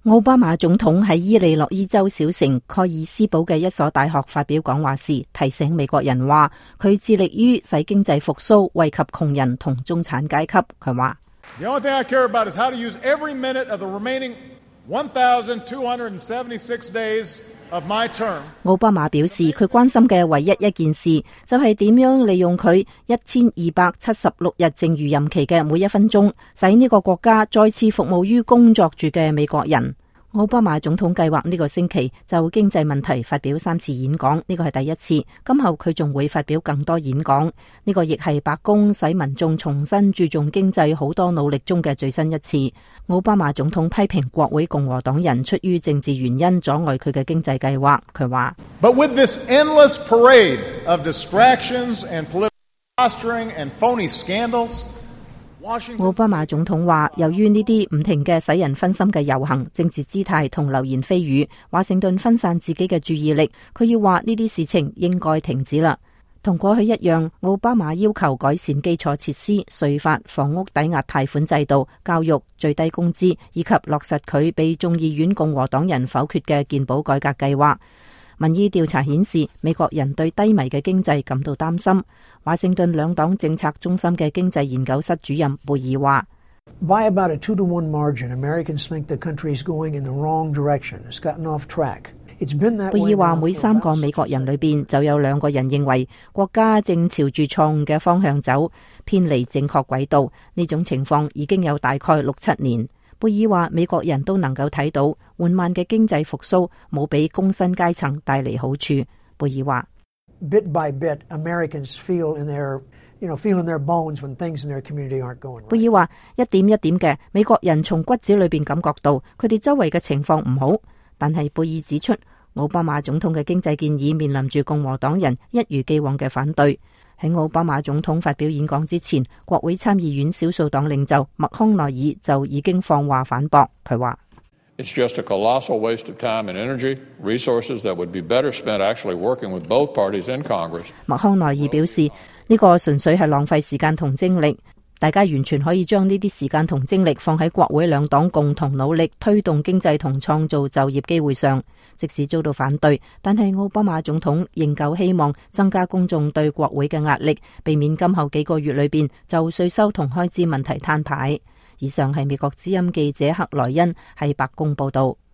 奧巴馬總統喺伊利諾伊州小城蓋爾斯堡嘅一所大學發表講話時，提醒美國人話佢致力於使經濟復甦，惠及窮人同中產階級。佢話：The only thing I care about is how to use every minute of the remaining 1,276 days of my term。奧巴馬表示，佢關心嘅唯一一件事就係點樣利用佢1276日剩餘任期嘅每一分鐘，使呢個國家再次服務於工作住嘅美國人。奧巴馬總統計劃呢個星期就經濟問題發表3次演講，呢個係第一次。今後佢仲會發表更多演講，呢個亦係白宮使民眾重新注重經濟好多努力中嘅最新一次。奧巴馬總統批評國會共和黨人出於政治原因阻礙佢嘅經濟計劃。佢話：But with this endless parade of distractions and political posturing and phony scandals。奧巴馬總統話，由於呢啲唔停嘅使人分心嘅遊行、政治姿態同流言蜚語，華盛頓分散自己嘅注意力。佢要話呢啲事情應該停止啦。同過去一樣，奧巴馬要求改善基礎設施、稅法、房屋抵押貸款制度、教育、最低工資，以及落實佢被眾議院共和黨人否決嘅健保改革計劃。民意調查顯示，美國人對低迷嘅經濟感到擔心。華盛頓兩黨政策中心嘅經濟研究室主任貝爾話：By about a 2-to-1 margin, Americans think the country is going in the wrong direction. It's gotten off track. It's been that way. 貝爾話，每3個美國人裏邊就有2個人認為國家正朝住錯誤嘅方向走，偏離正確軌道。呢種情況已經有大概6-7年。貝爾話，美國人都能夠睇到緩慢嘅經濟復甦冇俾工薪階層帶嚟好處。貝爾話：Bit by bit, Americans feel in their bones when things in their community aren't going right. 貝爾話，一點一點嘅，美國人從骨子裏邊感覺到佢哋周圍嘅情況唔好。但係貝爾指出，奧巴馬總統嘅經濟建議面臨住共和黨人一如既往嘅反對。喺奧巴馬總統發表演講之前，國會參議院少數黨領袖麥康奈爾就已經放話反駁。佢話：It's just a colossal waste of time and energy, resources that would be better spent actually working with both parties in Congress. 麥康奈爾表示，呢個純粹係浪費時間同精力，大家完全可以將呢啲時間同精力放喺國會兩黨共同努力推動經濟同創造就業機會上。即使遭到反對，但係奧巴馬總統仍舊希望增加公眾對國會嘅壓力，避免今後幾個月裏邊就稅收同開支問題攤牌。以上係美國之音記者克萊恩喺白宮報道。